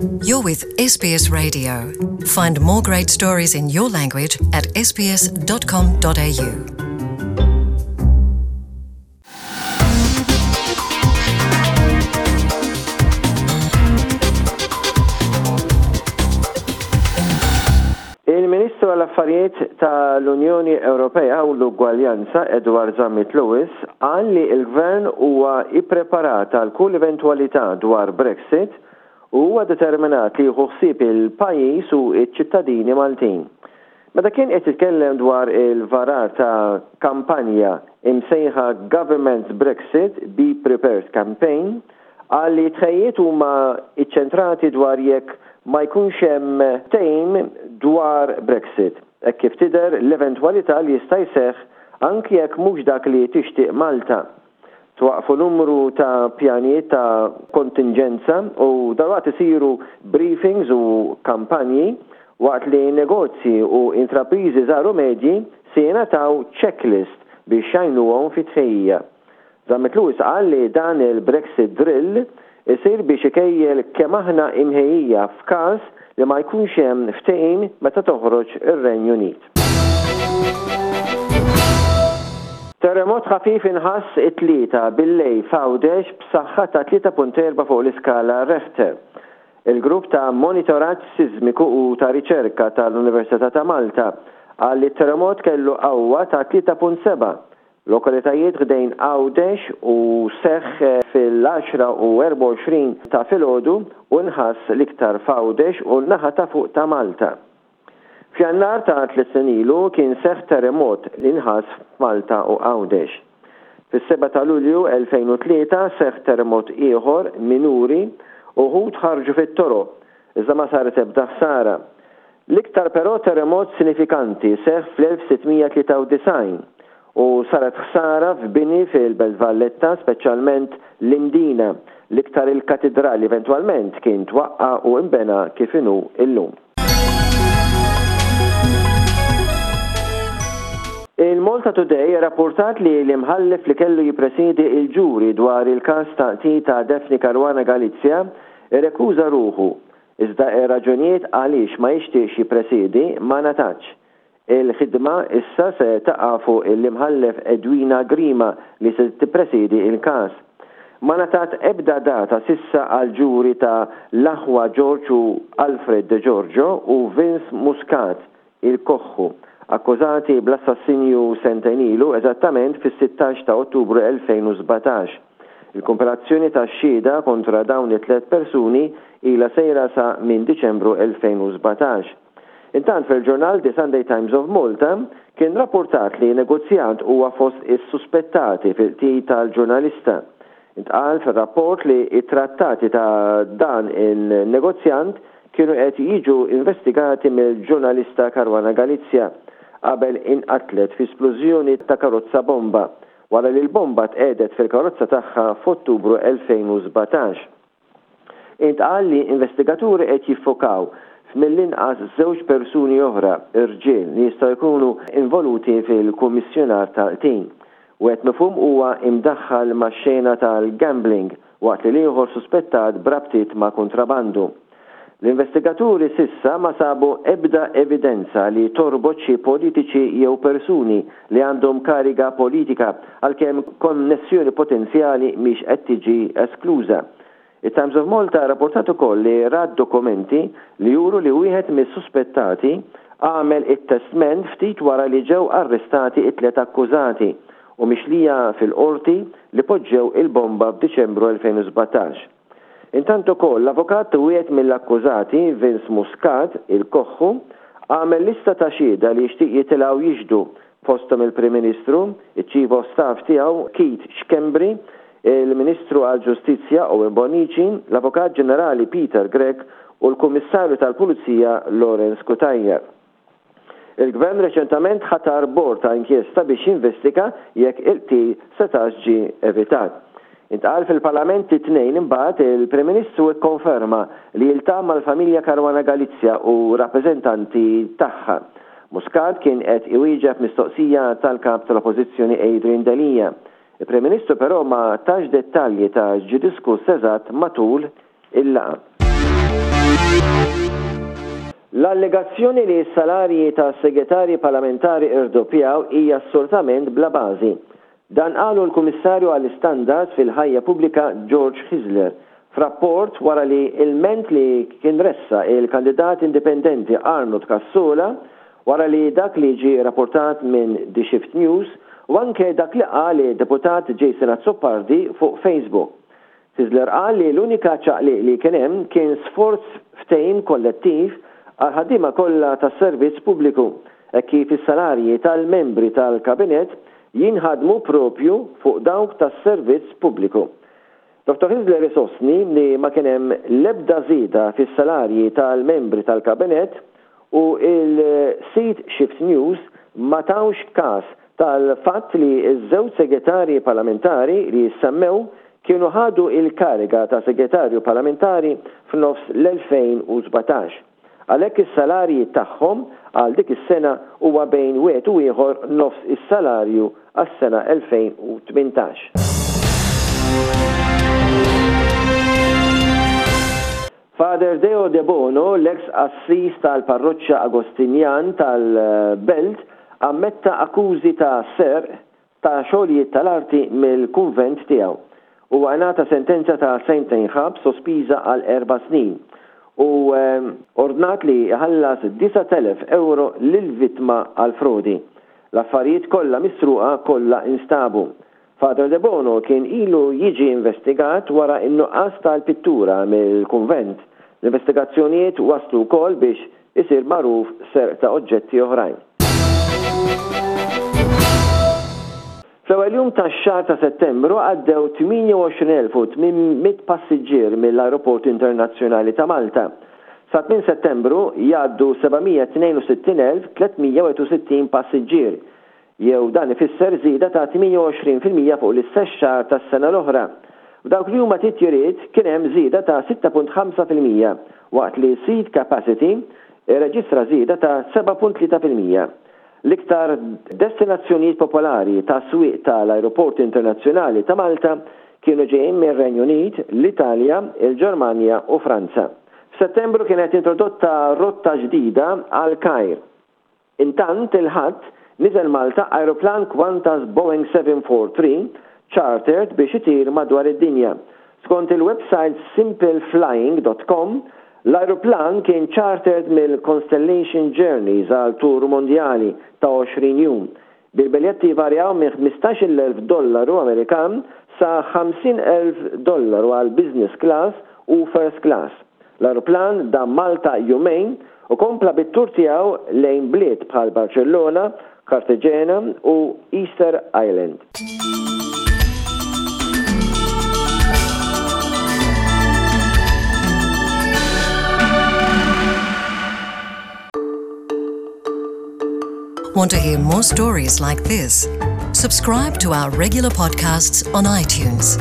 You're with SBS Radio. Find more great stories in your language at sbs.com.au. Il-Ministru għall-Affarijiet tal-Unjoni Ewropea u l-Ugwaljanza Edward Zammit Lewis qal li l-Gvern huwa ippreparat għal kull eventwalità dwar Brexit u huwa determinat li jieħu ħsieb il-pajjiż u ċ-ċittadini Maltin. Meta kien qed jitkellem dwar il-varar ta' kampanja imsejħa Government's Brexit Be Prepared Campaign, qal li t-tħejjiet huma ċċentrati dwar jekk ma jkunx hemm ftehim dwar Brexit, hekk kif tidher l-eventwalità li jista' jseħħ anki jekk mhux dak li tixtieq Malta. Twaqqfu numru ta' pjanijiet ta' kontinġenza u dalwaqt isiru briefings u kampanji waqt li negozji u intrapriżi żgħar u medji se jingħataw checklist biex jgħinuhom fit-tħejjija. Zammit Lewis qal li dan il-Brexit drill isir biex ikejjel kemm aħna imħejjija f'każ li ma jkunx hemm ftehim meta toħroġ ir-Renju Unit. Terremot ħafif inħass it-Tlieta billejl f'Għawdex b'saħħa ta' 3.4 fuq l-iskala Rechter. Il-Grupp ta' Monitoraġġ Sismiku u ta' Riċerka tal-Università ta' Malta qal li t-terremot kellu qawwa ta' 3.7 Lokalitajiet ħdejn Għawdex u seħħ fil-għaxra u 24 ta' filgħodu u nħass l-iktar f'Għawdex u n-naħa ta' fuq ta' Malta. F'Jannar ta' tliet snin ilu kien seħħ terremot li nħass f'Malta u Għawdex. Fis-sebgħa ta' Lulju 2003 seħħ terremot ieħor minuri u wħud ħarġu fit-toroq iżda ma saret ebda ħsara. L-iktar però terremot sinifikanti seħħ fl-1693 u saret ħsara f'bini fil-Belt Valletta, speċjalment l-Imdina, l-iktar il-Katidral li eventwalment kien twaqqa' u nbena kif inhu llum. Il-Malta Today rrappurtat li l-Imħallef li kellu jippresiedi l-ġuri dwar il-każ ta' qtil ta' Daphne Caruana Galizia irrekuża ruħu Iżda ir-raġunijiet għaliex ma jixtieqx jippresiedi ma ngħatatx. Il-ħidma issa se taqa' fuq l-Imħallef Edwina Grima li se tippresiedi l-każ. Ma ngħatat ebda data s'issa għall-ġuri ta' l-aħwa George u Alfred Degiorgio u Vince Muscat il-Koħħu, akkużati bl-assassinju sentejn ilu, eżattament fis-16 ta' Ottubru 2017. Il-kumpilazzjoni tax-xhieda kontra dawn it-tlett persuni ilha sejra sa minn Diċembru 2017. Intant fil-ġurnal The Sunday Times of Malta kien rappurtat li negozjant huwa fost is-suspettati fil-qtil tal-ġurnalista. Intqal fir-rapport li t-trattati ta' dan in-negozjant kienu qed jiġu investigati mill-ġurnalista Caruana Galizia qabel inqatlet fi splużjoni ta' karozza bomba wara li l-bomba tqiegħdet fil-karozza tagħha f'Ottubru 2017. Intqal li investigaturi qed jiffokaw f'mill-inqas żewġ persuni oħra, irġiel, li jistgħu jkunu involuti fil-kummissjonar tal-qtil. Wieħed mifhum huwa imdaħħal max-xena tal-gambling waqt li l-ieħor suspettat b'rabtiet ma' kuntrabandu. L-investigaturi s'issa ma sabu ebda evidenza li torbot xi politiċi jew persuni li għandhom kariga politika għalkemm konnessjoni potenzjali mhix qed tiġi eskluża. It-Times of Malta rrapportat ukoll li rat dokumenti li juru li wieħed mis-suspettati għamel it-testment ftit wara li ġew arrestati t-tliet akkużati u mixlija fil-Qorti li poġġew il-bomba f'Diċembru 2017. Intant ukoll l-avukat ta' wieħed mill-akkużati, Vince Muscat, il-Koħħu, għamel lista ta' xhieda li jixtieq jitilgħu jixhdu, fosthom il-Prim Ministru, iċ-Chief of Staff tiegħu Keith Schembri, il-Ministru għall-Ġustizzja Owen Bonnici, l-Avukat Ġenerali Peter Grech u l-Kummissarju tal-Pulizija Lawrence Cutajar. Il-Gvern reċentament ħatar bord ta' inkjesta biex jinvestiga jekk il-qtil setax ġie evitat. Intqal fil-Parlament it-Tnejn imbagħad il-Prim Ministru kkonferma li jiltaqa' mal-familja Caruana Galizia u rappreżentanti tagħha. Muscat kien qed iwieġeb mistoqsija tal-Kap tal-Oppożizzjoni Adrian Delia. Il-Prim Ministru però ma tax dettalji ta' x'ġie diskuss eżatt matul il-laqgħa. L-allegazzjoni li s-salarji tas-Segretarji Parlamentari rdoppjaw hija assolutament bla bażi. Dan qalu l-Kummissarju għall-Istandards fil-Ħajja Pubblika George Hyzler f'rapport wara li ilment li kien ressaq il-kandidat indipendenti Arnold Cassola wara li dak li ġie rapportat minn The Shift News u anke dak li qal id-Deputat Jason Azzopardi fuq Facebook. Hyzler qal li l-unika ċaqliq li kien hemm kien sforz ftehim kollettiv għall-ħaddiema kollha tas-servizz pubbliku hekk kif is-salarji tal-membri tal-Kabinett jinħadmu proprju fuq dawk tas-servizz pubbliku. Dottor Hyzler isostni li ma kien hemm l-ebda żieda fis-salarji tal-membri tal-Kabinett u l-sit Shift News ma tawx każ tal-fatt li ż-żewġ segretarji parlamentari li jissemmew kienu ħadu l-kariga ta' segretarju parlamentari f'nofs l-2017. Għalhekk is-salarji tagħhom għal dik is-sena huwa bejn wieħed u ieħor nofs is-salarju għas-sena 2018. Father Deo Debono, l-eks qassis tal-parroċċa Agostinjan tal-Belt, ammetta akkużi ta' serq ta' xogħlijiet tal-arti mill-kunvent tiegħu. Huwa ngħata sentenza ta' sentejn ħabs sospiża għal erba' snin u ordnat li jħallas 9,000 ewro lill-vittma għall-frodi. L-affarijiet kollha misruqa kollha instabu. Father Debono kien ilu jiġi investigat wara n-nuqqas tal-pittura mill-kunvent. L-investigazzjonijiet wasslu wkoll biex isir magħruf serq ta' oġġetti oħrajn. Fl-ewwel jum tax-xahar ta' Settembru għaddew 28,800 passiġġier mill-Ajruport Internazzjonali ta' Malta. Sa tmiem Settembru jgħaddu 762,361 passiġġier, jew dan ifisser żieda ta' 28% fuq l-istess xahar tas-sena l-oħra. F'dawk li huma titjiriet kien hemm żieda ta' 6.5% waqt li seat capacity irreġistra żieda ta' 7.3%. L-iktar destinazzjonijiet popolari ta' swieq ta' l-Ajruport Internazzjonali ta' Malta kienu ġejjin mir-Renju Unit, l-Italja, il-Ġermanja u Franza. F'Settembru kienet introdotta rotta ġdida għall-Kajr. Intant, il-Ħadd, niżel Malta ajruplan Qantas Boeing 743 chartered biex itir madwar id-dinja. Skont il-websajt simpleflying dot com, l-ajruplan kien chartered mill-Constellation Journeys għal tour mondjali ta' 20 jum, bil-biljetti jvarjaw minn 15,000 dollaru Amerikan sa 50,000 dollaru għal business class u first class. L-ajruplan dam Malta jumejn u kompla bit-tour tiegħu lejn bliet bħal Barċellona, Cartagena u Easter Island. Want to hear more stories like this? Subscribe to our regular podcasts on iTunes.